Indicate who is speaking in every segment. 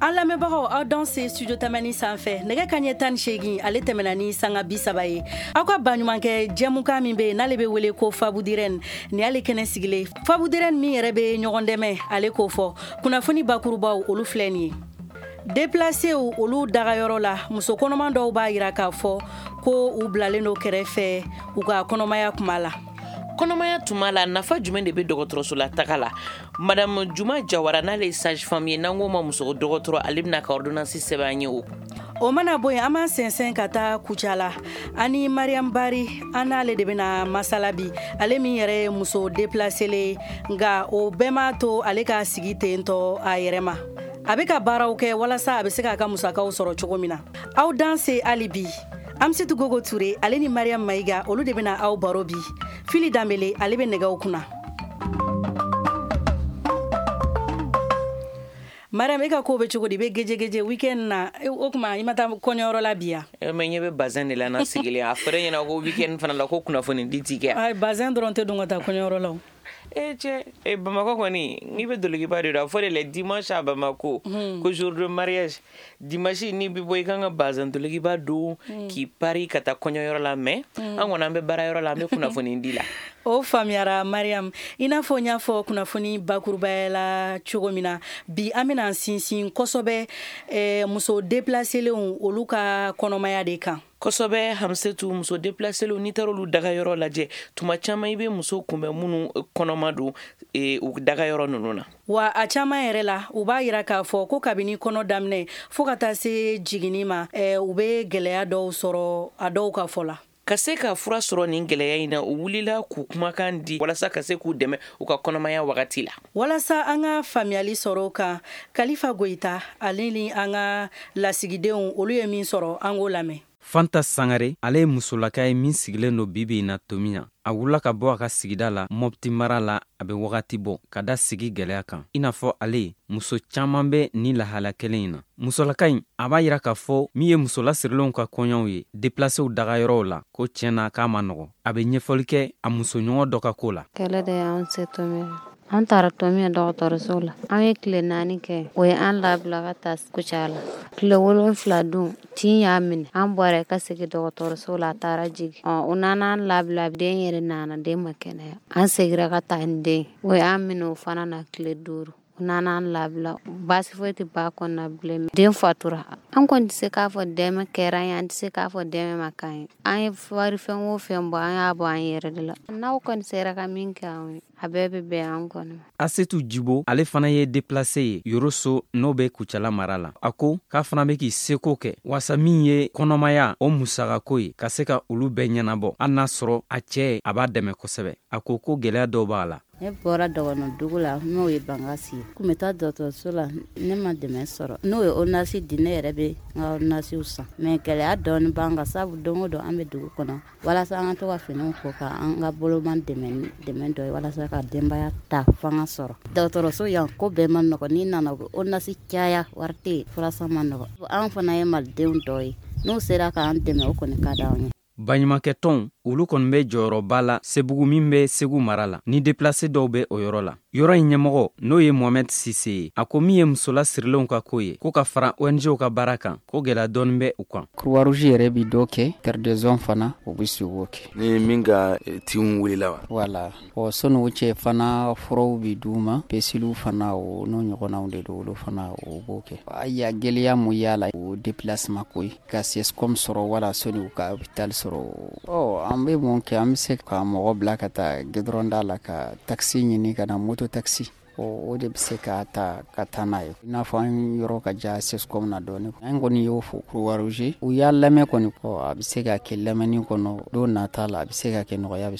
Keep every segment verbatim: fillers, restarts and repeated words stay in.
Speaker 1: An lamɛnbagaw, aw danse Studio Tamani sanfɛ. Nɛgɛ ka ɲɛ tan ni seegin ale tɛmɛna ni sanga bi saba ye. Aw ka baɲumankɛ jɛmukan min bɛ yen n'ale bɛ wele ko Fabudirɛn, nin y'ale kɛnɛ sigilen. Fabudirɛn min yɛrɛ bɛ ɲɔgɔn dɛmɛ, ale k'o fɔ. Kunnafoni bakurubaw, olu filɛ nin ye. Déplacéw, olu dagayɔrɔ la, muso kɔnɔman dɔw b'a yira k'a fɔ ko u bilalen don kɛrɛfɛ u ka kɔnɔmaya kuma la.
Speaker 2: Kɔnɔmaya tuma la, nafa jumɛn de bɛ dɔgɔtɔrɔso la taga la? Madame Juma Jawara, n'ale ye sage femme ye, n'an k'o ma muso dɔgɔtɔrɔ, ale bɛna ka ordonnance sɛbɛn an ye o.
Speaker 1: O mana bɔ yen, an b'an sɛnsɛn ka taa Kucala ani Mariam Bari. An n'ale de bɛna masala bi, ale min yɛrɛ ye muso déplacélen ye, nka o bɛɛ m'a to ale ka sigi ten tɔ a yɛrɛ ma. A bɛ ka baaraw kɛ walasa a bɛ se k'a ka musakaw sɔrɔ cogo min na. Aw danse hali bi. Amisitu Gogo Ture, ale ni Mariam Mayiga, olu de bɛna aw baro bi. Fili Danbele, ale bɛ nɛgɛw kunna. Mariam, e ka ko bɛ cogo di? I bɛ geje geje weekend na. O tuma i ma taa kɔɲɔyɔrɔ la bi yan?
Speaker 2: Mɛ ɲɛ bɛ bazin de la na sigilen. A fɔra e ɲɛna ko weekend fana la ko kunnafoni di ti kɛ.
Speaker 1: Ay, bazin dɔrɔn tɛ don ka taa kɔɲɔyɔrɔ la o.
Speaker 2: E cɛ e, Bamakɔ kɔni, n'i bɛ dolokiba de don, a fɔ de le dimanche à Bamako ko jour de mariage. Dimanche n'i bɛ bɔ, i kan ka bazin dolokiba don k'i pari ka taa kɔɲɔyɔrɔ la. Mais an kɔni, an bɛ baarayɔrɔ la, an bɛ kunnafoni di la.
Speaker 1: O faamuyara, Mariam. I n'a fɔ n y'a fɔ kunnafoni bakurubaya la cogo min na, bi an bɛna sinsin kosɛbɛ eh, muso déplacélenw, olu ka kɔnɔmaya de kan.
Speaker 2: Kosɛbɛ, Hamisetu. Muso déplacélenw, n'i taara olu dagayɔrɔ lajɛ, tuma caman i bɛ muso kunbɛn minnu kɔnɔma don e, u dagayɔrɔ ninnu na.
Speaker 1: Wa a caman yɛrɛ la, u b'a yira k'a fɔ ko kabini kɔnɔ daminɛ fɔɔ ka taa se jiginni ma, eh, u bɛ gwɛlɛya dɔw sɔrɔ a dɔw ka fɔ la.
Speaker 2: Ka se ka fura sɔrɔ nin gwɛlɛya in na, u wulila k'u kumakan di walasa ka se k'u dɛmɛ u ka kɔnɔmaya wagati la.
Speaker 1: Walasa an ka faamuyali sɔrɔ o kan, Kalifa Goyita, ale ni an ka lasigidenw, olu ye min sɔrɔ, an k'o lamɛn.
Speaker 3: Fanta Sangare, ale ye musolaka ye min sigilen don bibi in na Tominian. A wulila ka bɔ a ka sigida la Mɔpti mara la, a bɛ wagati bɔ, ka da sigi gwɛlɛya kan. I n'a fɔ ale, muso caaman bɛ ni lahala kelen in na. Musolaka in, a b'a yira k'a fɔ min ye musolasirilenw ka kɔɲɔw ye déplacéw dagayɔrɔw la, ko tiɲɛ na k'a ma nɔgɔ. A bɛ ɲɛfɔli kɛ a musoɲɔgɔn dɔ ka ko la.
Speaker 4: Kɛlɛ de y'an se Tominian. An taara Tominian dɔgɔtɔrɔso la, an ye tile naani kɛ. O ye an labila ka taa Kucala. Tile wolonfila dun, tin y'a minɛ. An bɔra ka segin dɔgɔtɔrɔso la, a taara jigin. Ɔ, u nana an labila, den yɛrɛ nana, den ma kɛnɛya. An segira ka taa ni den, o y'an minɛ o fana na tile duuru. U nana an labila, baasi foyi tɛ ba kɔnɔna bilen, den fatura. An kɔni tɛ se k'a fɔ dɛmɛ kɛra an ye, an tɛ se k'a fɔ dɛmɛ ma k'an ye. An ye wari fɛn o fɛn bɔ, an y'a bɔ an yɛrɛ de la. N'aw kɔni sera ka min kɛ anw ye, a bɛɛ bɛ bɛn an kɔni ma.
Speaker 3: Asetu Jibo, ale fana ye déplacé ye Yoroso, n'o bɛ Kucala mara la. A ko k'a fana bɛ k'i seko kɛ wasa min ye kɔnɔmaya o musakako ye, ka se ka olu bɛɛ ɲɛnabɔ, hali n'a sɔrɔ a cɛɛ a b'a dɛmɛ kosɛbɛ. A ko ko gwɛlɛya dɔw b'a la.
Speaker 5: Ne bɔra dɔgɔnɔ dugu la, n'o ye Bankasi ye. Kun bɛ taa dɔgɔtɔrɔso la, ne ma dɛmɛ sɔrɔ. N'o ye ordonnance di, ne yɛrɛ bɛ n ka ordonnance san. Mais gɛlɛya dɔɔni b'an kan, sabu don o don an bɛ dugu kɔnɔ walasa an ka to ka finiw ko ka an ka boloman dɛmɛ dɛmɛ dɔ ye walasa ka denbaya ta fanga sɔrɔ. Dɔgɔtɔrɔso yan, ko bɛɛ ma nɔgɔ. N'i nana, u bɛ ordonnance caya, wari tɛ yen, furasan ma nɔgɔ. An fana ye malidenw dɔ ye, n'u sera k'an dɛmɛ, o kɔni ka d'anw ye.
Speaker 3: Baɲumankɛtɔnw, olu kɔni bɛ jɔyɔrɔba la Sebugu min bɛ Segu mara la, ni déplacé dɔw bɛ o yɔrɔ la. Yɔrɔ in ɲɛmɔgɔ, n'o ye Mohamɛd Sise ye, a ko min ye musola sirilenw ka ko ye, ko ka fara O N Gw ka baara kan, ko gwɛlɛya dɔɔni bɛ u kan.
Speaker 6: Croix Rouge yɛrɛ bi dɔ kɛ, Terre des Hommes fana, o bɛ se k'o kɛ.
Speaker 7: Ni min ka tinw wulila wa?
Speaker 6: Wala ɔ, sɔnni o cɛ fana, furaw bi d'u ma, peseliw fana, o n'o ɲɔgɔnnaw de don, olu fana o b'o kɛ. Ayiwa, gɛlɛya mun y'a la, o déplacement ko ye, ka C S C O M sɔrɔ wala sɔnni u ka hôpital sɔrɔ. Ɔ, an bɛ mun kɛ? An bɛ se ka mɔgɔ bila ka taa goudron da la ka taxi ɲini ka na, moto taxi, o de bɛ se ka ta ka taa n'a ye. I n'a fɔ an yɔrɔ ka jan C S C O M na dɔɔni. An kɔni y'o fɔ Croix Rouge, u y'a lamɛn kɔni. Ɔ, a bɛ se ka kɛ lamɛnni kɔnɔ don nata la, a bɛ se ka kɛ nɔgɔya bɛ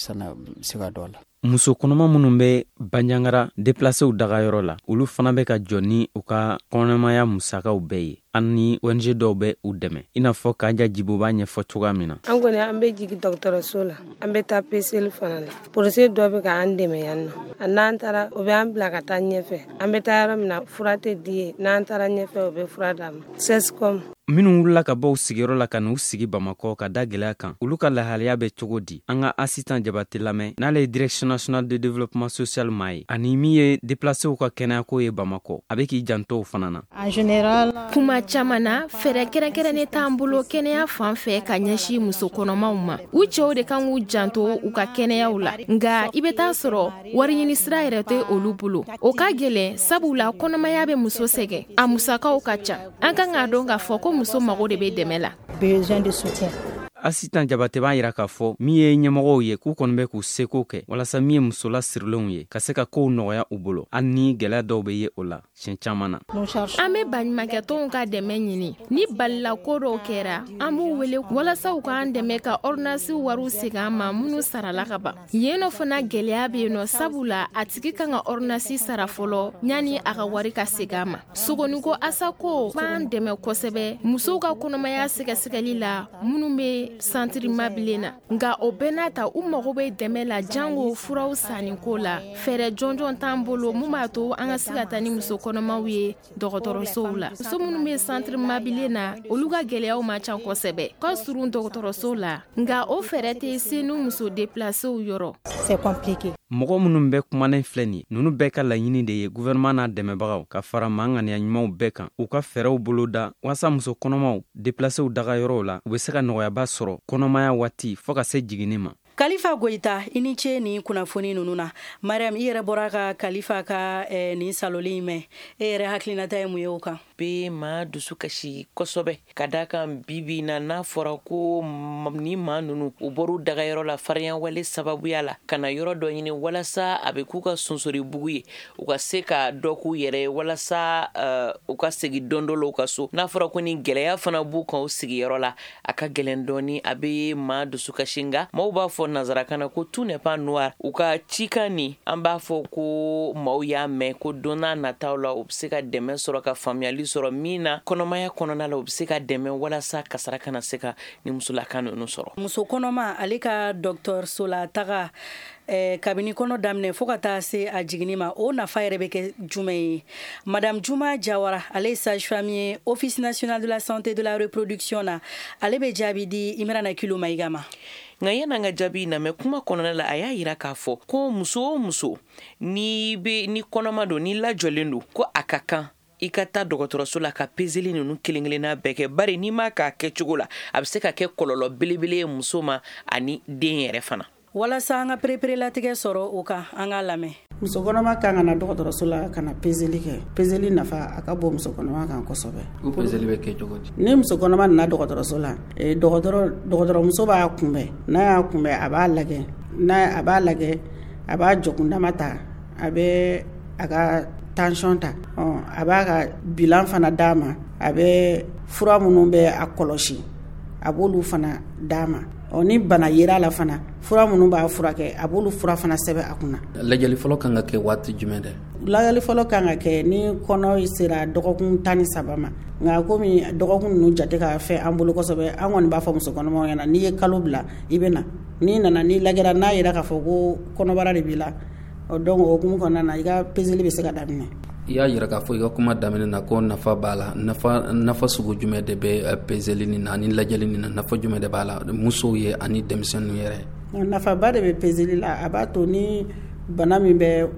Speaker 6: se ka dɔ la.
Speaker 3: Muso kɔnɔma minnu bɛ Banjagara déplacéw dagayɔrɔ la, olu fana bɛ ka jɔ ni u ka kɔnɔmaya musakaw bɛɛ ye. Ani O N G dɔw bɛ u dɛmɛ, i n'a fɔ Kaja Jibo b'a ɲɛfɔ cogoya min na.
Speaker 8: An kɔni an bɛ jigin dɔgɔtɔrɔso la, an bɛ taa peseli fana la. Polisi dɔ bɛ k'an dɛmɛ yan nɔ. A n'an taara o bɛ an bila ka taa ɲɛfɛ. An bɛ taa yɔrɔ min na fura tɛ di yen, n'an taara ɲɛfɛ o bɛ fura d'an ma. C E S C O M.
Speaker 3: Minnu wulila ka bɔ u sigiyɔrɔ la ka n'u sigi Bamakɔ ka da gwɛlɛya kan, olu ka lahalaya bɛ cogo di? An ka Asitan Jabate lamɛn, n'ale ye Direction nationale de développement social maa ye, ani min ye déplacéw ka kɛnɛyako ye Bamakɔ, a bɛ k'i janto o fana na.
Speaker 9: En général, kuma caman na, fɛɛrɛ kɛrɛnkɛrɛnnen t'an bolo kɛnɛya fan fɛ ka ɲɛsin muso kɔnɔmaw ma. U cɛw de kan k'u janto u ka kɛnɛyaw la, nka i bɛ taa sɔrɔ wariɲini sira yɛrɛ tɛ olu bolo. O ka gɛlɛn, sabula kɔnɔmaya bɛ muso sɛgɛn, a musakaw ka ca. An kan k'a dɔn k'a fɔ ko muso mago de bɛ dɛmɛ la.
Speaker 10: Besoin de soutien.
Speaker 3: Asitan Jabate b'a yira k'a fɔ min ye ɲɛmɔgɔw ye, k'u kɔni bɛ k'u seko kɛ walasa min ye musola sirilenw ye ka se ka kow nɔgɔya u bolo, hali ni gwɛlɛya dɔw bɛ ye o la siɲɛ caman na.
Speaker 9: An bɛ baɲumankɛtɔnw ka dɛmɛ ɲini. Ni balila ko dɔw kɛra, an b'u wele walasa u k'an dɛmɛ ka ordonnance wariw segin an ma minnu sarala ka ban. Yen nɔ fana gɛlɛya bɛ yen nɔ, sabula a tigi kan ka ordonnance sara fɔlɔ yanni a ka wari ka segin a ma. Sogoniko asako b'an dɛmɛ kosɛbɛ musow ka kɔnɔmaya sɛgɛsɛgɛli la minnu bɛ centre Mabilen na, nka o bɛɛ n'a ta, u mago bɛ dɛmɛ la jango furaw sanniko la. Fɛɛrɛ jɔnjɔn t'an bolo mun b'a to an ka se ka taa ni muso kɔnɔmaw ye dɔgɔtɔrɔsow la. Muso minnu bɛ centre Mabilen na, olu ka gɛlɛyaw man ca kosɛbɛ, ka surun dɔgɔtɔrɔso la, nka o fɛɛrɛ tɛ se ni muso déplacéw yɔrɔ.
Speaker 10: C'est compliqué.
Speaker 3: Mɔgɔ minnu bɛ kumanen filɛ nin ye, ninnu bɛɛ ka laɲini de ye gouvernement n'a dɛmɛbagaw ka fara maa ŋaniya ɲumanw bɛɛ kan, u ka fɛɛrɛw boloda walasa muso kɔnɔmaw déplacéw daga yɔrɔw la, u bɛ se ka nɔgɔyaba sɔrɔ kɔnɔmaya waati fɔɔ ka se jiginni ma.
Speaker 1: Kalifa Goyita, i ni ce nin kunnafoni ninnu na. Mariam, i yɛrɛ bɔra ka Kalifa ka eh, nin saloli in mɛn, e yɛrɛ hakilinata ye mun ye o kan?
Speaker 2: Bɛ maa dusu kasi kosɛbɛ, ka da kan bibi na, n'a fɔra ko ni maa ninnu u bɔr'u dagayɔrɔ la farinya sababuya la ka na yɔrɔ dɔ ɲini walasa a bɛ k'u ka sonsoribugu ye, u ka se ka dɔ k'u yɛrɛ ye walasa uh, u ka segin don dɔ la u ka so, n'a fɔra ko ni gɛlɛya fana b'u kan u sigiyɔrɔ la, a ka gɛlɛn dɔɔni, a bɛ maa dusu kasi. Nka maaw b'a fɔ nanzarakan na ko tout n'est pas noir. U ka cikan nin, an b'a fɔ ko maaw y'a mɛn ko don n'a nataw la, u bɛ se ka dɛmɛ sɔrɔ, ka faamuyali sɔrɔ min na kɔnɔmaya kɔnɔna la, u bɛ se ka dɛmɛ walasa kasara kana se ka ni musolaka ninnu sɔrɔ.
Speaker 1: Muso kɔnɔma, ale ka dɔgɔtɔrɔso la taga eh, kabini kɔnɔ daminɛ fo ka taa se a jiginni ma, o nafa yɛrɛ bɛ kɛ jumɛn ye? Madame Juma Jawara, ale ye sage femme ye Office national de la santé de la reproduction na, ale bɛ jaabi di Imrana Kilo Mayiga ma.
Speaker 2: Nka yan'an ka jaabi na mɛn, kuma kɔnɔna la, a y'a yira k'a fɔ ko muso o muso, n'i bɛ ni kɔnɔma don, n'i lajɔlen don, ko a ka kan i ka taa dɔgɔtɔrɔso la ka peseli ninnu kelen kelenna bɛɛ kɛ, bari n'i m'a k'a kɛcogo la, a bɛ se ka kɛ kɔlɔlɔ belebele ye muso ma ani den yɛrɛ fana.
Speaker 1: Walasa an ka pereperelatigɛ sɔrɔ o kan, an k'a lamɛn.
Speaker 11: Muso kɔnɔma kan ka na dɔgɔtɔrɔso la ka na peseli kɛ. Peseli nafa a ka bon muso kɔnɔma kan kosɛbɛ.
Speaker 7: O peseli bɛ kɛ cogo di?
Speaker 11: Ni muso kɔnɔma nana dɔgɔtɔrɔso la, dɔgɔtɔrɔ dɔgɔtɔrɔmuso b'a kunbɛn. N'a y'a kunbɛn, a b'a lajɛ, n'a a b'a lajɛ, a b'a jɔkundama ta, a bɛ a ka tension ta, a b'a ka bilan fana d'a ma, a bɛ fura minnu bɛ a kɔlɔsi, a b'olu fana d'a ma. Ɔ ni bana yera la fana, fura minnu b'a furakɛ, a b'olu fura fana sɛbɛn a kunna.
Speaker 7: Lajɛli fɔlɔ kan ka kɛ waati jumɛn dɛ?
Speaker 11: Lajɛli fɔlɔ kan ka kɛ ni kɔnɔ sera dɔgɔkun tan ni saba ma. Nka komi dɔgɔkun ninnu jate ka fɛ an bolo kosɛbɛ, an kɔni b'a fɔ muso kɔnɔmaw ɲɛna, n'i ye kalo bila, i bɛ na. N'i nana, n'i lajɛra, n'a yera k'a fɔ ko kɔnɔbara de b'i la, donc o hukumu kɔnɔna na, i ka peseli bɛ se ka daminɛ.
Speaker 7: I y'a yira k'a fɔ i ka kuma daminɛ na ko nafa b'a la. Nafa nafa sugu jumɛn de bɛ peseli nin na ani lajɛli nin na? Nafa jumɛn de b'a la musow ye ani denmisɛnninw yɛrɛ?
Speaker 11: Nafaba de bɛ peseli la. A b'a to ni bana min bɛ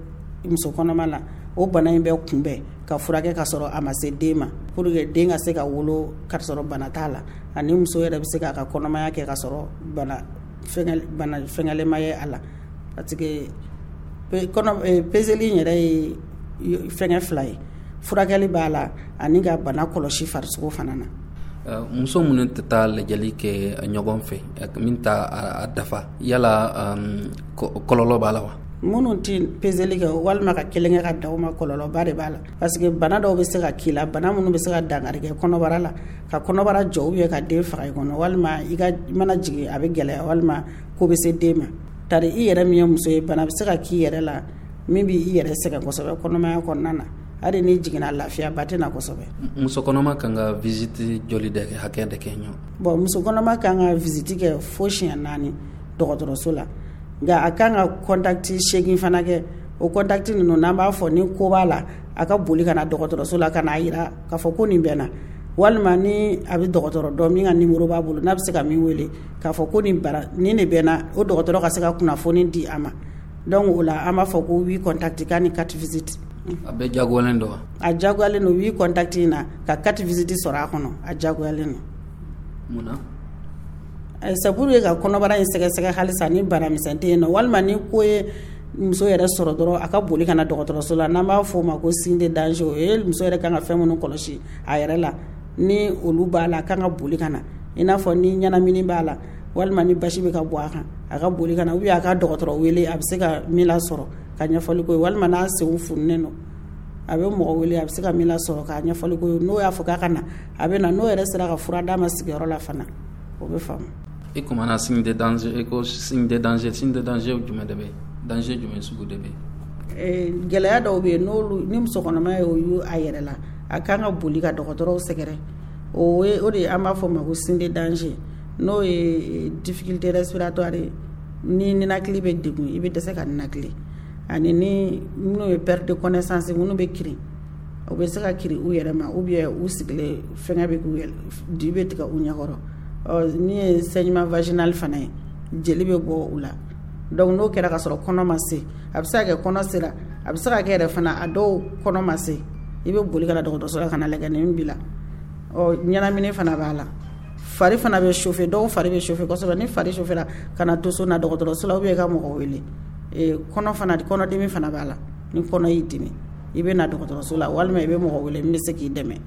Speaker 11: muso kɔnɔma la, o bana in bɛ kunbɛn ka furakɛ ka sɔrɔ a ma se den ma, pour que den ka se ka wolo ka sɔrɔ bana t'a la, ani muso yɛrɛ bɛ se k'a ka kɔnɔmaya kɛ ka sɔrɔ bana fɛngɛ bana fɛngɛlema ye a la, parce que kɔnɔ peseli in yɛrɛ ye fɛngɛ fila ye: furakɛli b'a la ani ka bana kɔlɔsi farisogo fana na.
Speaker 7: Muso minnu tɛ taa lajɛli kɛ ɲɔgɔn fɛ, min t'a a dafa, yala kɔlɔlɔ b'a la wa?
Speaker 11: Minnu tɛ peseli kɛ walima ka kelen kɛ ka da o ma, kɔlɔlɔba de b'a la, parce que bana dɔw bɛ se ka k'i la, bana minnu bɛ se ka dankari kɛ kɔnɔbara la, ka kɔnɔbara jɔ ou bien ka den faga i kɔnɔ, walima i ka i mana jigin a bɛ gɛlɛya, walima ko bɛ se den ma. Tari i yɛrɛ min ye muso ye, bana bɛ se ka k'i yɛrɛ la min b'i yɛrɛ sɛgɛn kosɛbɛ kɔnɔmaya kɔnɔna na. Hali ni jiginna, lafiya ba tɛ na kosɛbɛ.
Speaker 7: Muso kɔnɔma kan ka visite joli de kɛ, hakɛ de kɛ ɲɔ?
Speaker 11: Bon, muso kɔnɔma kan ka visite kɛ fo siɲɛ naani dɔgɔtɔrɔso la, nka a kan ka contact seegin fana kɛ. O contact ninnu, n'an b'a fɔ ni ko b'a la, a ka boli ka na dɔgɔtɔrɔso la ka n'a yira k'a fɔ ko nin bɛ na, walima ni a bɛ dɔgɔtɔrɔ dɔn min ka numéro b'a bolo, n'a bɛ se ka min wele k'a fɔ ko nin bara nin de bɛ na, o dɔgɔtɔrɔ ka se ka kunnafoni di a ma. Donc o la, an b'a fɔ ko huit contact k'a ni quatre visites.
Speaker 7: A bɛɛ jagoyalen don wa?
Speaker 11: A jagoyalen don. Huit contact in na, ka quatre visites sɔrɔ a kɔnɔ, a jagoyalen don.
Speaker 7: Mun na?
Speaker 11: C'est pour que ka kɔnɔbara in sɛgɛsɛgɛ halisa ni banamisɛn tɛ yen nɔ, walima ni ko ye muso yɛrɛ sɔrɔ dɔrɔn, a ka boli ka na dɔgɔtɔrɔso la. N'an b'a fɔ o ma ko signe de danger, o ye muso yɛrɛ kan ka fɛn minnu kɔlɔsi a yɛrɛ la, ni olu b'a la, a kan ka boli ka na, i n'a fɔ ni ɲɛnamini b'a la, walima ni basi bɛ ka bɔ a kan, a ka boli ka na, ou bien a ka dɔgɔtɔrɔ wele, a bɛ se ka min lasɔrɔ ka ɲɛfɔli k'o ye, walima n'a senw fununen don, a bɛ mɔgɔ wele, a bɛ se ka min lasɔrɔ k'a ɲɛfɔli k'o ye. N'o y'a fɔ k'a ka na, a bɛ na. N'o yɛrɛ sera ka fura d'a ma sigiyɔrɔ la fana, o bɛ faamu.
Speaker 7: I kumana signe de danger, i ko signe de danger. Signe de danger jumɛn de bɛ yen? Danger jumɛn sugu de bɛ
Speaker 11: yen? Gɛlɛya dɔw bɛ yen, n'olu ni muso kɔnɔma ye o ye a yɛrɛ la, a kan ka boli ka dɔgɔtɔrɔw sɛgɛrɛ. O ye o de an b'a fɔ o ma ko signe de danger, n'o ye difficulté respiratoire ye, ni ninakili bɛ degun, i bɛ dɛsɛ ka ninakili, ani ni minnu ye perte de connaissance, minnu bɛ kirin, u bɛ se ka kirin u yɛrɛ ma, ou bien u sigilen fɛngɛ bɛ k'u yɛrɛ di bɛ tigɛ u ɲɛkɔrɔ. Ɔ min ye saignement vaginal fana ye, jeli bɛ bɔ u la. Donc n'o kɛra ka sɔrɔ kɔnɔ ma se, a bɛ se ka kɛ kɔnɔ sera, a bɛ se ka kɛ yɛrɛ fana a dɔw kɔnɔ ma se, i bɛ boli ka na dɔgɔtɔrɔso la ka na lajɛ nin b'i la. Ɔ ɲɛnamini fana b'a la, fari fana bɛ chauffer, dɔw fari bɛ chauffer kosɛbɛ. Ni fari chauffera, ka na to so, na dɔgɔtɔrɔso la, ou bien i ka mɔgɔ wele. Kɔnɔ fana, kɔnɔdimi fana b'a la. Ni kɔnɔ y'i dimi, i bɛ na dɔgɔtɔrɔso la, walima i bɛ mɔgɔ wele min bɛ se k'i dɛmɛ.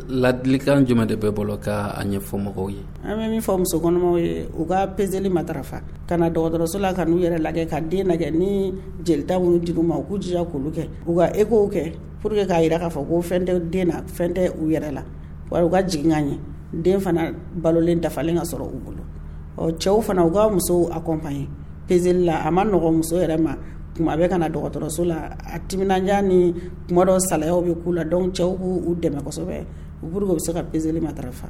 Speaker 7: Ladilikan jumɛn de bɛ bolo ka a ɲɛfɔ mɔgɔw ye?
Speaker 11: An bɛ min fɔ muso kɔnɔmaw ye, u ka peseli matarafa, ka na dɔgɔtɔrɔso la, ka n'u yɛrɛ lajɛ, ka den lajɛ. Ni jelita minnu dir'u ma, u k'u jija k'olu kɛ, u ka écho kɛ pour que k'a jira k'a fɔ ko fɛn tɛ den na, fɛn tɛ u yɛrɛ la, wala u ka jigin ka ɲɛ, den fana balolen dafalen ka sɔrɔ u bolo. Ɔ cɛw fana, u ka musow accompagner peseli la. A ma nɔgɔn muso yɛrɛ ma kuma bɛɛ ka na dɔgɔtɔrɔso la, a timinandiya ni kuma dɔw salayaw bɛ k'u la. Donc cɛw k'u dɛmɛ kosɛbɛ pour que u bɛ se ka peseli matarafa.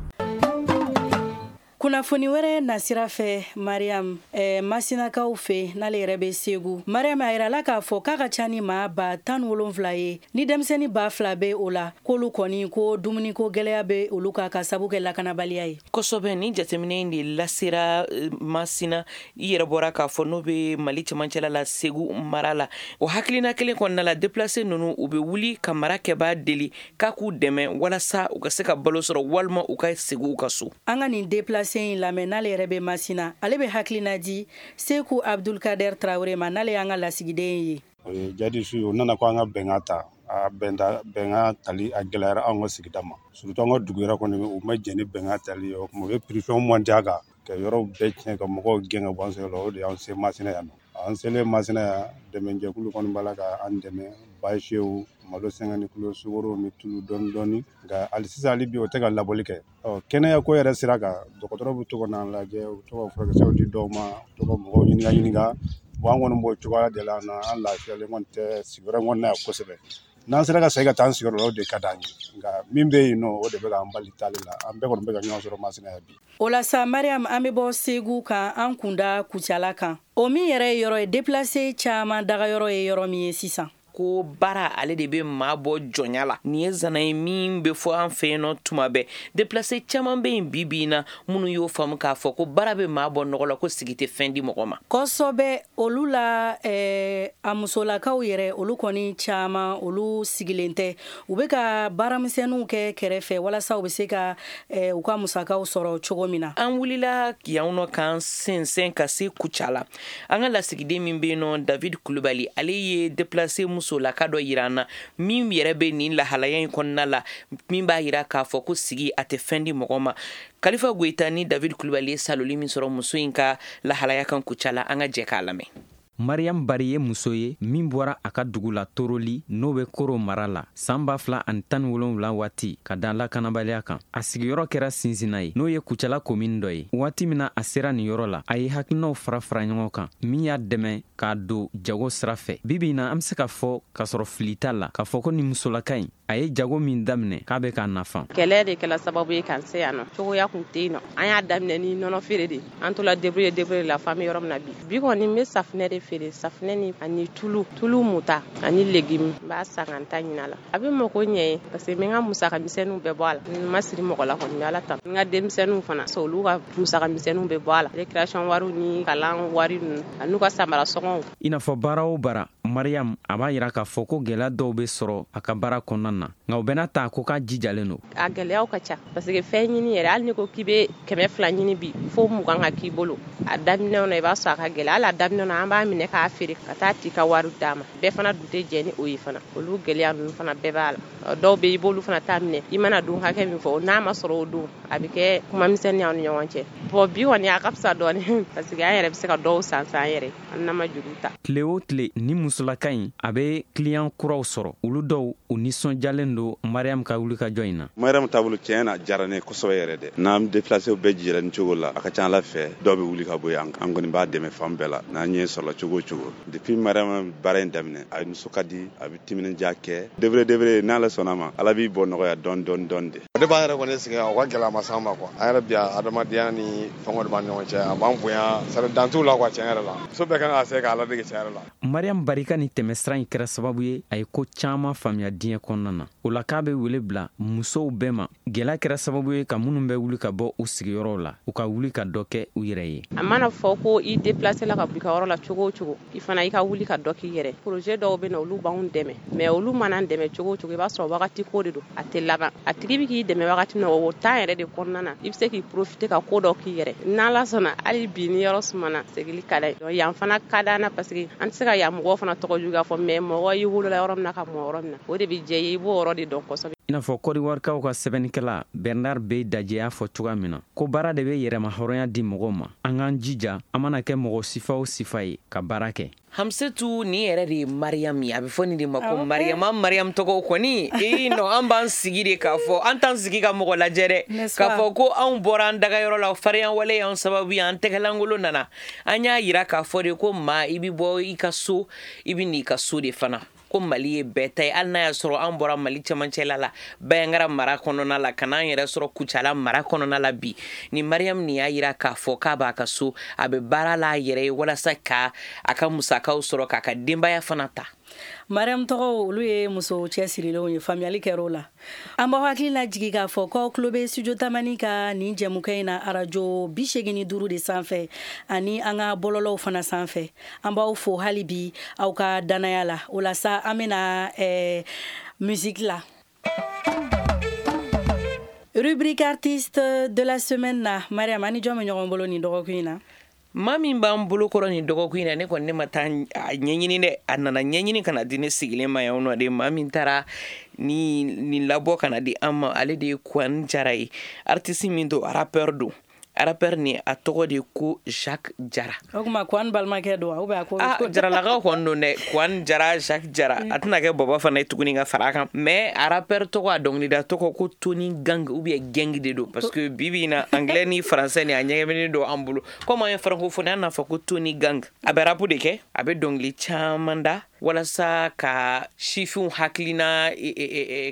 Speaker 1: Kunnafoni wɛrɛ nasira fɛ, Mariam, eh, Masinakaw fɛ, n'ale yɛrɛ bɛ Segu, Mariam, a yirala k'a fɔ k'a ka ca ni maa ba tan wolonfila ye, ni denmisɛnnin ba fila bɛ o la, k'olu kɔni ko dumuniko gɛlɛya bɛ olu kan ka sabu kɛ lakanabaliya ye.
Speaker 2: Kosɛbɛ, ni jateminɛ in de lasera Masina, i yɛrɛ bɔra k'a fɔ, n'o bɛ Mali cɛmancɛla la, Segu mara la. O hakilina kelen kɔnɔna la, déplacé ninnu, u bɛ wuli ka mara kɛbaa deli k'a k'u dɛmɛ walasa u ka se ka balo sɔrɔ, walima u ka segin u ka so.
Speaker 1: An ka nin déplacé in lamɛn, n'ale yɛrɛ bɛ Masina, ale bɛ hakilina di Seku Abdulkader Traoré ma, n'ale y'an ka lasigiden ye.
Speaker 12: O ye jadisiw ye, u nana ko an ka bɛnkan ta. A bɛnta bɛnkan tali a gɛlɛyara anw ka sigida ma, surtout an ka dugu yɛrɛ kɔni, u ma jɛn ni bɛnkan tali ye. O tuma u ye pression monter a kan ka yɔrɔw bɛɛ tiɲɛ, ka mɔgɔw gɛn ka bɔ an sigiyɔrɔ la. O de y'an se Masina yan nɔ. An selen Masina yan, dɛmɛjɛkulu kɔni b'a la ka an dɛmɛ, basiw, malo cinquante kilo, sukaro ni tulu dɔɔni dɔɔni, nka hali sisan, hali bi, o tɛ ka labɔli kɛ. Ɔ kɛnɛya ko yɛrɛ sira kan, dɔgɔtɔrɔ bɛ to ka n'an lajɛ, u bɛ to ka furakisɛw di dɔw ma, u to ka mɔgɔw ɲininka ɲininka. Bon, an kɔni b'o cogoya de la na, an lafiyalen kɔni tɛ sigiyɔrɔ in kɔni na yan kosɛbɛ. N'an sera ka segin ka taa an sigiyɔrɔ la, o de ka d'an ye, nka min bɛ yen nɔ, o de bɛ k'an bali taali la. An bɛɛ kɔni bɛ ka ɲɔgɔn sɔrɔ Masina yan bi.
Speaker 1: O la sa, Mariam, an bɛ bɔ Segu kan, an kunda Kucala kan, o min yɛrɛ ye yɔrɔ ye déplacé caman dagayɔrɔ ye, yɔrɔ min ye sisan.
Speaker 2: Ko baara ale de bɛ maa bɔ jɔnya la. Nin ye zana ye min bɛ fɔ an fɛ yen nɔ tuma bɛɛ. Déplacé caman bɛ yen bi bi in na minnu y'o faamu k'a fɔ ko baara bɛ maa bɔ nɔgɔ la, ko sigi tɛ fɛn di mɔgɔ ma.
Speaker 1: Kosɛbɛ, olu la eh, a musolakaw yɛrɛ, olu kɔni caman, olu sigilen tɛ, u bɛ ka baaramisɛnninw kɛ kɛrɛfɛ walasa u bɛ se ka eh, u ka musakaw sɔrɔ cogo min na.
Speaker 2: An wulila yan nɔ k'an sɛnsɛn ka se Kucala. An ka lasigiden min bɛ yen nɔ, David Kulubali, ale ye déplacé musolaka dɔ yira an na min yɛrɛ bɛ nin lahalaya in kɔnɔna la, min b'a yira k'a fɔ ko sigi a tɛ fɛn di mɔgɔ ma. Kalifa Goyita ni David Kulubali ye saloli min sɔrɔ muso in ka lahalaya kan Kucala, an ka jɛ k'a lamɛn.
Speaker 3: Mariam Bari ye muso ye min bɔra a ka dugu la Toroli, n'o bɛ Koro mara la, san ba fila ani tan ni wolonwula waati, ka da lakanabaliya kan. A sigiyɔrɔ kɛra Sinsinna ye, n'o ye Kucala komini dɔ ye. Waati min na a sera nin yɔrɔ la, a ye hakilinaw fara fara ɲɔgɔn kan min y'a dɛmɛ k'a don jago sira fɛ. Bi bi in na, an bɛ se ka fɔ k'a sɔrɔ fili t'a la k'a fɔ ko nin musolaka in, a ye jago min daminɛ, k'a bɛ k'a nafa.
Speaker 13: Kɛlɛ de kɛla sababu ye k'an se yan nɔ. Cogoya kun tɛ yen nɔ. An y'a daminɛ ni nɔnɔ feere de. An tola débrouiller débrouiller la f'an bɛ yɔrɔ min na bi. Bi kɔni, n bɛ safunɛ de feere, safunɛ ni ani tulu, tulu muta ani légume. N b'a san ka n ta ɲini a la. A bɛ mako ɲɛ ye parce que n bɛ n ka musaka misɛnninw bɛɛ bɔ a la. N ma siri mɔgɔ la kɔni, n bɛ Ala tanu. N ka denmisɛnninw fana, olu ka musaka misɛnninw bɛ bɔ a la. Récréation wariw ni kalan wari ninnu ani n'u ka samara sɔngɔw.
Speaker 3: I n'a fɔ baara o baara, Mariam a b'a yira k'a fɔ ko gɛlɛya dɔw bɛ sɔrɔ a ka baara kɔnɔna na, nka o bɛɛ n'a ta, ko k'a jijalen don.
Speaker 13: A gɛlɛyaw ka ca parce que fɛn ɲini yɛrɛ, hali ni ko k'i bɛ kɛmɛ fila ɲini bi, fo mugan ka k'i bolo. A daminɛw na, i b'a sɔrɔ a ka gɛlɛ. Hali a daminɛ na, an b'a minɛ k'a feere ka taa t'i ka wari d'a ma. Bɛɛ fana dun tɛ jɛ ni o ye fana. Olu gɛlɛya ninnu fana bɛɛ b'a la. Dɔw bɛ, i b'olu fana ta minɛ, i mana don hakɛ min fɔ, n'a ma sɔrɔ o don, a bɛ kɛ kuma misɛnnin y'aw ni ɲɔgɔn cɛ. Bon, bi kɔni a ka fisa dɔɔni parce que an yɛrɛ bɛ se ka dɔw san san yɛrɛ, an n'an ma juru ta.
Speaker 3: Tile o tile, ni musolaka in a bɛ client kuraw sɔrɔ. Olu dɔw, u nisɔndiyalen don Mariam ka wulikajɔ in na.
Speaker 14: Mariam taabolo, tiɲɛ na, diyara ne kosɛbɛ yɛrɛ dɛ. N'an déplacé bɛɛ jira nin cogo la, a ka ca Ala fɛ, dɔw bɛ wuli ka bɔ yen. An kɔni b'a dɛmɛ fan bɛɛ la n'an ɲɛ sɔrɔla cogo o cogo. Depuis Mariam baara in daminɛ, a nisɔn ka di, a bɛ timinandiya kɛ debre debre. N'Ala sɔnna ma, Ala b'i bɔ nɔgɔya dɔɔni dɔɔni dɔɔni de.
Speaker 15: Ne b'an yɛrɛ kɔni sigi, o ka gɛlɛya ma s'an ma quoi. An yɛrɛ bi, adamadenya ni fɛngɛw de b'an ɲɔgɔn cɛ. A b'an bonya, c'est dan t'u la quoi. Tiɲɛ yɛrɛ la, muso bɛɛ kan ka se k'a ladege tiɲɛ yɛrɛ la.
Speaker 3: Mariam Barika ni tɛmɛsira in kɛra sababu ye a ye ko caman faamuya diɲɛ kɔnɔna na. O la, k'a bɛ wele bila musow bɛɛ ma, gɛlɛya kɛra sababu ye ka minnu bɛ wuli ka bɔ u sigiyɔrɔw la, u ka wuli ka dɔ kɛ u yɛrɛ ye.
Speaker 13: A mana fɔ ko i déplacé la ka bɔ i ka yɔrɔ la cogo o cogo, i fana i ka wuli ka dɔ k'i yɛrɛ. Projet dɔw bɛ na, olu b'anw dɛmɛ, mais olu mana dɛmɛ cogo o cogo, i b'a sɔrɔ wagati ko de don, a tɛ laban. A tigi bɛ k'i dɛmɛ wagati min na, o temps yɛrɛ de kɔnɔna na, i bɛ se k'i profiter ka ko dɔ k'i yɛrɛ. N'Ala sɔnna, hali bi ni yɔrɔ sumana, segili ka d'a ye. Yan fana ka d'an na parce que an tɛ se ka yan mɔgɔw fana tɔgɔ juguya fɔ, mais mɔgɔ i wolola yɔrɔ min na ka mɔ yɔrɔ min na, o de bɛ diya i ye, i b'o yɔrɔ de dɔn kosɛbɛ.
Speaker 3: I n'a fɔ Kɔdiwarikaw ka sɛbɛnnikɛla Bernard Bey Dajɛ y'a fɔ cogoya min na ko baara de bɛ yɛrɛma hɔrɔnya di mɔgɔw ma, an k'an jija, an mana kɛ mɔgɔ sifa o sifa ye, ka baara kɛ.
Speaker 2: Hamsetu, nin yɛrɛ de ye Mariam ye. A bɛ fɔ nin de ma ko Mariam. An Mariam tɔgɔ kɔni, ee non, an b'an sigi de k'a fɔ, an t'an sigi ka mɔgɔ lajɛ dɛ, k'a fɔ ko anw bɔra an dagayɔrɔ la, farinya wale y'an sababu ye, an tɛgɛlankolon nana. An y'a yira k'a fɔ de ko maa, i bɛ bɔ i ka so, i bɛ n'i ka so de fana, ko Mali ye bɛɛ ta ye. Hali n'a y'a sɔrɔ an bɔra Mali cɛmancɛla la, Bayangara mara kɔnɔna la, ka n'an yɛrɛ sɔrɔ Kucala mara kɔnɔna la bi, ni Mariam nin y'a yira k'a fɔ k'a b'a ka so, a bɛ baara la a yɛrɛ ye walasa ka a ka musakaw sɔrɔ, k'a ka denbaya fana ta.
Speaker 1: Mariam tɔgɔw, olu ye muso cɛsirilenw ye. Faamuyali kɛr'o la. An b'aw hakili lajigi k'a fɔ k'aw tulo bɛ Studio Tamani ka nin jɛmukɛ in na, arajo bi segin ni duuru de sanfɛ ani an ka bɔlɔlɔw fana sanfɛ. An b'aw fo hali bi aw ka danaya la. O la sa, an bɛna ɛɛ musique la, rubrique artiste de la semaine na. Mariam, ani jɔn bɛ ɲɔgɔn bolo nin dɔgɔkun in na?
Speaker 2: Maa min b'an bolo kɔrɔ nin dɔgɔkun in na, ne kɔni, ne ma taa a ɲɛɲini dɛ, a nana ɲɛɲini ka na di ne sigilen ma yan nɔ de. Maa min taara ni nin labɔ ka na di an ma, ale de ye Kwan Jara ye. Artiste min don, rappeur don. Rappeur ni, a tɔgɔ de ko Jacques Jara.
Speaker 1: O tuma Kwan balimakɛ don wa, ou bien a ko?
Speaker 2: Ah, Jaralakaw kɔni don dɛ. Kwan Jara, Jacques Jara, a tɛna kɛ bɔbɔ fana ye tuguni ka fara a kan, mais a rappeur tɔgɔ, a dɔnkilida tɔgɔ ko Tony Gang ou bien Gang de don, parce que bi bi in na, anglais ni français ni, a ɲɛgɛminen don an bolo. Comme an ye francophonie, an n'a fɔ ko Tony Gang. A bɛ rap de kɛ, a bɛ dɔnkili caman da walasa ka sifinw hakilina,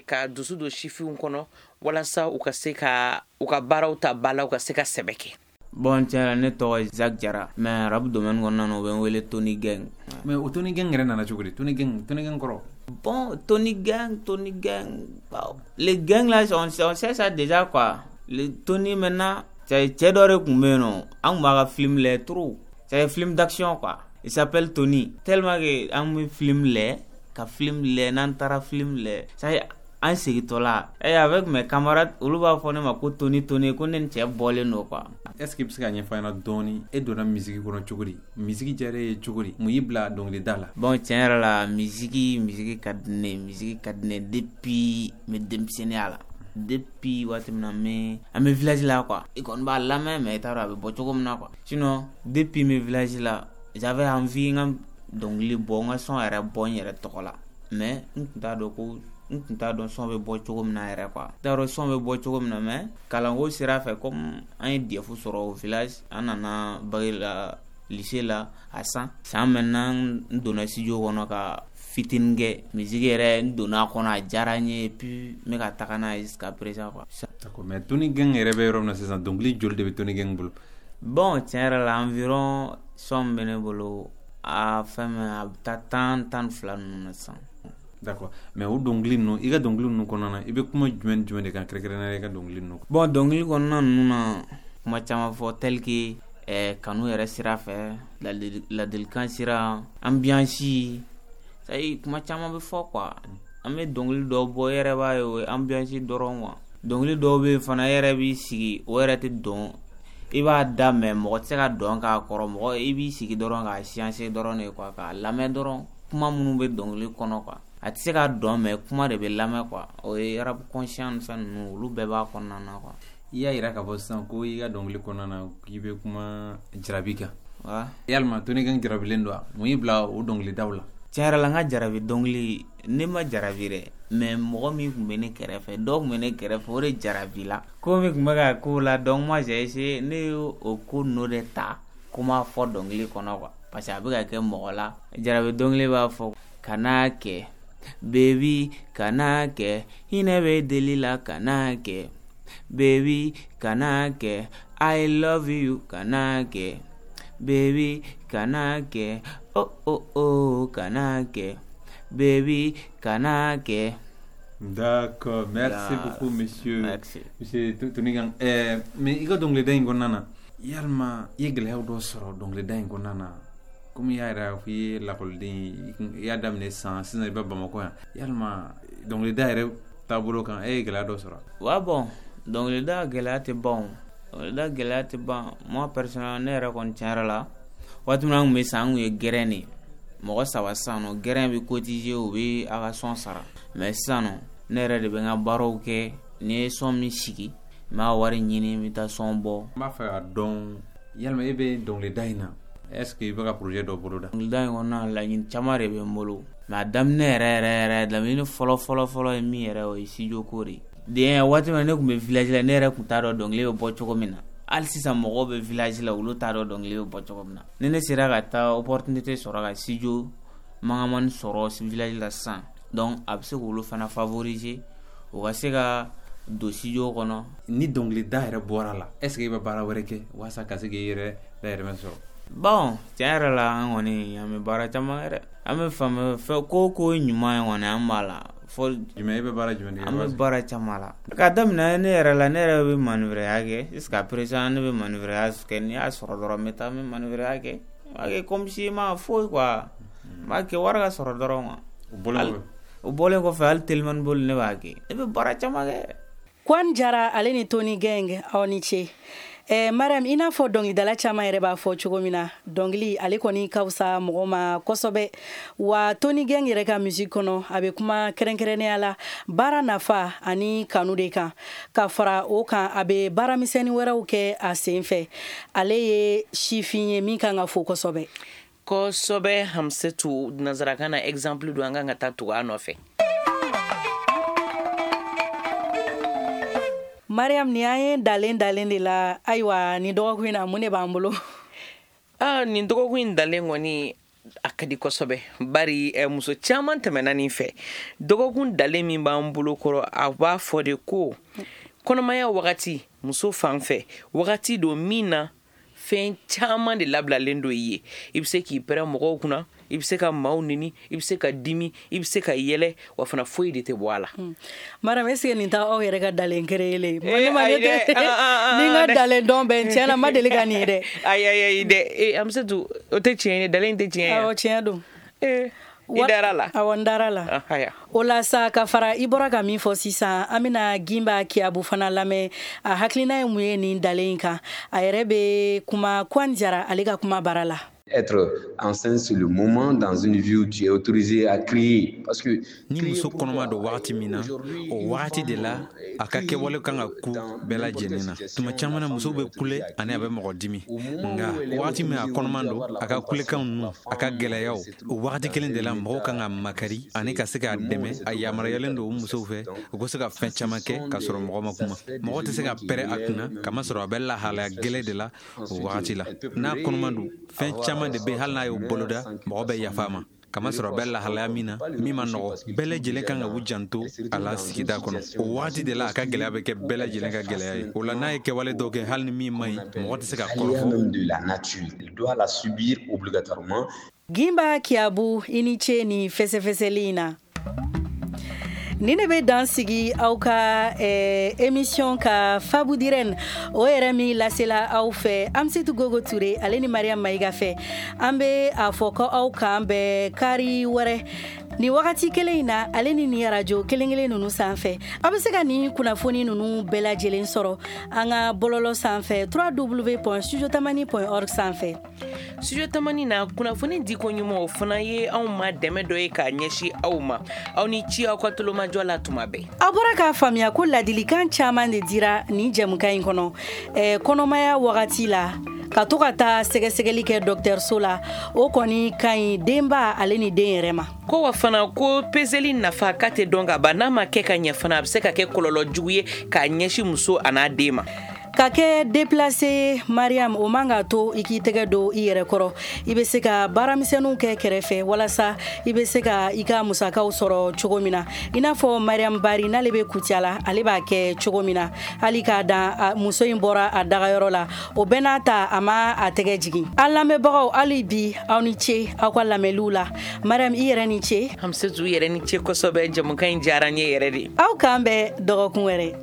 Speaker 2: ka dusu don sifinw kɔnɔ walasa u ka se ka u ka baaraw ta ba la, u ka se ka sɛbɛ kɛ.
Speaker 16: Bon, tiɲɛ na, ne tɔgɔ ye Jacques Jara, mais rap domaine kɔnɔna na, u bɛ n wele Tony Gang.
Speaker 17: Mais o Tony Gang yɛrɛ nana cogo di? Tony Gang, Tony Gang kɔrɔ?
Speaker 16: Bon, Tony Gang, Tony Gang, bon, les gangs là, on, on sait ça déjà quoi. Le Tony maintenant, cɛ dɔ de tun bɛ yen nɔ, an tun b'a ka film lajɛ trop. C'est un film d'action quoi. Il s'appelle Tony. Tellement que an bɛ film lajɛ, ka film lajɛ, n'an taara film lajɛ, c'est an segintɔ la, eh, avec mes camarades, olu b'a fɔ ne ma ko Tony, Tony, ko ne ni cɛ bɔlen don quoi.
Speaker 17: Est ce que i bɛ se ka ɲɛfɔ an ɲɛna dɔɔni, e donna musique kɔnɔ cogo di? Musique diyara e ye cogo di? Mun y'i bila dɔnkilida la?
Speaker 16: Bon, tiɲɛ yɛrɛ la, musique musique ka di ne ye, musique ka di ne ye depuis n bɛ denmisɛnninya la. Depuis waati min na n bɛ an bɛ village la quoi. I kɔni b'a lamɛn, mais i t'a dɔn a bɛ bɔ cogo min na quoi. Sinon, depuis n bɛ village la, j'avais envie n ka dɔnkili bɔ, n ka son yɛrɛ bɔ n yɛrɛ tɔgɔ la. Mais n tun t'a dɔn ko n tun t'a dɔn son bɛ bɔ cogo min na yɛrɛ quoi. N t'a dɔn son bɛ bɔ cogo min na, mais kalanko sira fɛ, comme an ye D E F sɔrɔ au village, an nana bac la lycée la a san san maintenant n donna studio kɔnɔ ka fitinin kɛ musique yɛrɛ, n donna a kɔnɔ, a diyara n ye, et puis n bɛ ka taga n'a ye jusqu'à présent quoi.
Speaker 17: D'accord, mais Tony Gang yɛrɛ bɛ yɔrɔ min na sisan, dɔnkili joli de bɛ Tony Gang bolo?
Speaker 16: Bon, tiɲɛ yɛrɛ la, environ son min bɛ ne bolo, a fɛn min a bɛ taa tan tan ni fila ninnu na sisan.
Speaker 17: D'accord, mais o dɔnkili ninnu, i ka dɔnkili ninnu kɔnɔna na, i bɛ kuma jumɛn ni jumɛn de kan kɛrɛnkɛrɛnnenya la i ka dɔnkili ninnu?
Speaker 16: Bon, dɔnkili kɔnɔna ninnu na, kuma caman fɔ, tel que eh, kanu yɛrɛ sira fɛ, ladilikan sira, ambiance, ça y est, kuma caman bɛ fɔ quoi. An bɛ dɔnkili dɔw bɔ, e yɛrɛ b'a ye o ye ambiance dɔrɔn quoi. Dɔnkili dɔw bɛ yen fana, e yɛrɛ b'i sigi, o yɛrɛ tɛ dɔn, i b'a da mɛ mɔgɔ tɛ se ka dɔn k'a kɔrɔ, mɔgɔ i b'i sigi dɔrɔn k'a siyanse dɔrɔn de quoi, k'a lamɛn dɔrɔn, kuma minnu bɛ dɔnkili kɔnɔ quoi. A tɛ se ka dɔn mɛ kuma de bɛ lamɛn quoi. O ye rap conscient ni fɛn ninnu, olu bɛɛ b'a kɔnɔna na quoi.
Speaker 17: I y'a yira k'a fɔ sisan ko i ka dɔnkili kɔnɔna na k'i bɛ kuma jarabi kan.
Speaker 16: Wa
Speaker 17: yalima Tony Gang jarabilen don wa? Mun y'i bila o dɔnkilidaw la?
Speaker 16: Tiɲɛ yɛrɛ la, n ka jarabi dɔnkili, ne ma jarabi dɛ, mais mɔgɔ min tun bɛ ne kɛrɛfɛ, dɔw tun bɛ ne kɛrɛfɛ, o de jarabi la. Ko min tun bɛ ka k'o la, donc moi j'ai essayé, ne y'o ko ninnu de ta ko m'a fɔ dɔnkili kɔnɔ quoi, parce que a bɛ ka kɛ mɔgɔ la. Jarabi dɔnkili b'a fɔ kan'a kɛ baby, kan'a kɛ, hinɛ bɛ deli la, kan'a kɛ baby, kan'a kɛ, I love you, kan'a kɛ baby, kan'a kɛ, oh oh oh, kan'a kɛ baby, kan'a kɛ.
Speaker 17: D'accord, merci
Speaker 16: Là,
Speaker 17: beaucoup monsieur.
Speaker 16: Merci.
Speaker 17: Monsieur Tony Gang. Eh, mais i ka dɔnkilida in kɔnɔna na, yalima i ye gɛlɛyaw dɔ sɔrɔ dɔnkilida in kɔnɔna na? Komi i y'a yɛrɛ fɔ i ye lakɔliden ye, i y'a daminɛ san sisan i bɛ Bamakɔ yan, yalima dɔnkilida yɛrɛ taabolo kan, e ye gɛlɛya dɔ sɔrɔ?
Speaker 16: Wa bon, dɔnkilida gɛlɛya tɛ ban o, dɔnkilida gɛlɛya tɛ ban. Moi personnellement, ne yɛrɛ kɔni tiɲɛ yɛrɛ la, waati min na an tun bɛ san, an tun ye gɛrɛn de ye, mɔgɔ saba sisan nɔ, gɛrɛn bɛ cotiser, u bɛ a ka son sara. Mais sisan nɔ, ne yɛrɛ de bɛ n ka baaraw kɛ, ni ye son min sigi, n b'a wari ɲini, n bɛ taa son bɔ.
Speaker 17: N b'a fɛ k'a dɔn, yalima e bɛ dɔnkilida in na, est-ce que i bɛ ka projet dɔ boloda?
Speaker 16: Dɔnkilida in kɔnɔna, laɲini caman de bɛ n bolo, mais a daminɛ yɛrɛ yɛrɛ yɛrɛ, laɲini fɔlɔ fɔlɔ fɔlɔ ye min yɛrɛ, o ye studio ko de ye. Den waati min na ne tun bɛ village la, ne yɛrɛ tun t'a dɔn dɔnkili bɛ bɔ cogo min na. Hali sisan mɔgɔw bɛ village la, olu t'a dɔn dɔnkili bɛ bɔ cogo min na. Ni ne sera ka taa opportunité sɔrɔ ka studio mangamani sɔrɔ village la sisan, donc a bɛ se k'olu fana favoriser, u ka se ka don studio kɔnɔ.
Speaker 17: Ni dɔnkilida yɛrɛ bɔra la, est-ce que i bɛ baara wɛrɛ kɛ walasa ka se k'i yɛrɛ dayɛlɛmɛ sɔrɔ?
Speaker 16: Bon, tiɲɛ yɛrɛ la, an kɔni an bɛ baara caman kɛ dɛ. An bɛ fan fɛn ko ko ɲuman ye kɔni, an b'a la. Fɔ
Speaker 17: jumɛn, i bɛ baara jumɛn de kɛ?
Speaker 16: An bɛ baara caman la. K'a daminɛ ne yɛrɛ la, ne yɛrɛ bɛ manœuvreya kɛ jusqu'à présent, ne bɛ manœuvreya kɛ. N'i y'a sɔrɔ dɔrɔn, n bɛ taa n bɛ manœuvreya kɛ. N b'a kɛ comme si ma foyi quoi. N b'a kɛ wari ka sɔrɔ dɔrɔn quoi.
Speaker 17: O bɔlen kɔfɛ?
Speaker 16: O bɔlen kɔfɛ, hali telimani boli ne b'a kɛ. Ne bɛ baara caman kɛ.
Speaker 1: Kwan Jara ale ni Tony Gang, aw ni ce. Eh, Mariam, i n'a fɔ dɔnkilidala caman yɛrɛ b'a fɔ cogo min na, dɔnkili ale kɔni ka fisa mɔgɔ ma kosɛbɛ. Wa Tony Gang yɛrɛ ka musique kɔnɔ, a bɛ kuma kɛrɛnkɛrɛnnenya la baara nafa ani kanu de kan. Ka fara o kan, a bɛ baaramisɛnnin wɛrɛw kɛ a sen fɛ. Ale ye sifin ye min kan ka fo kosɛbɛ.
Speaker 2: Kosɛbɛ. Hamsetu, nanzarakan na exemple don, an kan ka taa tugu a nɔfɛ.
Speaker 1: Mariam, ni an ye dalen dalen de la, ayiwa, ni dɔgɔkun in na, mun de b'an bolo?
Speaker 2: Ah, nin dɔgɔkun in dalen kɔni a ka di kosɛbɛ, bari eh, muso caman tɛmɛna nin fɛ. Dɔgɔkun dalen min b'an bolo kɔrɔ, a b'a fɔ de ko kɔnɔmaya wagati, muso fan fɛ, wagati don min na fɛn caman de labilalen don i ye. I bɛ se k'i pɛrɛn mɔgɔw kunna, i bɛ se ka maaw nini, i bɛ se ka dimi, i bɛ se ka yɛlɛ, wa fana foyi de tɛ bɔ a la.
Speaker 1: Mariam, est-ce que nin t'aw yɛrɛ ka dalen créer? Ni n ka dalen dɔn bɛ, tiɲɛ na n ma deli ka nin ye dɛ.
Speaker 2: Ayi ayi ayi dɛ, Amsetu, o tɛ tiɲɛ ye, dalen tɛ tiɲɛ ye.
Speaker 1: Awɔ, tiɲɛ don.
Speaker 2: I dara la.
Speaker 1: Awɔ, n dara la. O la sa, ka fara i bɔra ka min fɔ sisan, an bɛna Gimba Kiyabu fana lamɛn. A hakilina ye mun ye nin dalen in kan? A yɛrɛ bɛ kuma Kwan Jara ale ka kuma bara la.
Speaker 18: Être enceinte, c'est le moment dans une vie où tu es autorisé à crier. Parce que
Speaker 17: ni muso kɔnɔma don wagati min na, o wagati de la a ka kɛwale kan ka ku bɛɛ lajɛlen na. Tuma caman na, musow bɛ kule ani a bɛ mɔgɔ dimi, nka wagati min a kɔnɔman don, a ka kulekanw ninnu, a ka gɛlɛyaw, o wagati kelen de la mɔgɔw kan ka makari ani ka se k'a dɛmɛ. A yamaruyalen don o musow fɛ, u ka se ka fɛn caman kɛ k'a sɔrɔ mɔgɔ ma kuma. Mɔgɔ tɛ se ka pɛrɛ a kunna, kamasɔrɔ a bɛ lahalaya gɛlɛn de la o wagati la. N'a kɔnɔman don, fɛn caman de bɛ, hali n'a y'o boloda, mɔgɔ bɛ yafa a ma, kamasɔrɔ a bɛ lahalaya min na min ma nɔgɔ. Bɛɛ lajɛlen kan ka u janto a la sigida kɔnɔ. O wagati de la a ka gɛlɛya bɛ kɛ bɛɛ lajɛlen ka gɛlɛya ye. O la, n'a ye kɛwale dɔw kɛ, hali ni min man ɲi, mɔgɔ tɛ se ka kɔrɔfɔ.
Speaker 18: De la nature, il doit la subir obligatoirement.
Speaker 1: Gimba Kiabu, i ni ce ni fɛsɛfɛsɛli in na. Ni ne bɛ dan sigi aw ka eh, émission ka Fabudiren o yɛrɛ min lasela aw fɛ, Amsitu Gogo Ture ale ni Mariam Mayiga fɛ. An bɛ a fɔ ko aw k'an bɛn kari wɛrɛ ni wagati kelen in na, ale ni ni arajo kelen kelen ninnu sanfɛ. Aw bɛ se ka nin kunnafoni ninnu bɛɛ lajɛlen sɔrɔ an ka bɔlɔlɔ sanfɛ, w w w point studiotamani point org sanfɛ.
Speaker 2: Studio Tamani na, kunnafoni di ko ɲuman, o fana ye anw ma dɛmɛ dɔ ye k'a ɲɛsin aw ma. Aw ni ci aw ka tulomajɔ la tuma bɛɛ.
Speaker 1: Aw bɔra k'a faamuya ko ladilikan caman de dira nin jɛmukan in kɔnɔ. eh, kɔnɔmaya wagati la, ka to ka taa sɛgɛsɛgɛli kɛ dɔgɔtɔrɔso la, o kɔni ka ɲi denba ale ni den yɛrɛ ma.
Speaker 2: Ko wa fana, ko peseli nafa k'a tɛ dɔn ka ban. N'a ma kɛ ka ɲɛ fana, a bɛ se ka kɛ kɔlɔlɔ jugu ye k'a ɲɛsin muso a n'a den ma.
Speaker 1: Ka kɛ déplacé, Mariam, o man ka to i k'i tɛgɛ don i yɛrɛ kɔrɔ. I bɛ se ka baaramisɛnninw kɛ kɛrɛfɛ walasa i bɛ se ka i ka musakaw sɔrɔ cogo min na, i n'a fɔ Mariam Bari n'ale bɛ Kucala, ale b'a kɛ cogo min na. Hali k'a dan muso in bɔra a dagayɔrɔ la, o bɛɛ n'a ta, a ma a tɛgɛ jigin. An lamɛnbagaw, hali bi aw ni ce aw ka lamɛnliw la. Mariam, i yɛrɛ ni ce.
Speaker 2: Hamsetu yɛrɛ ni ce kosɛbɛ. Jamukan in diyara n ye yɛrɛ de.
Speaker 1: Aw k'an bɛn dɔgɔkun wɛrɛ.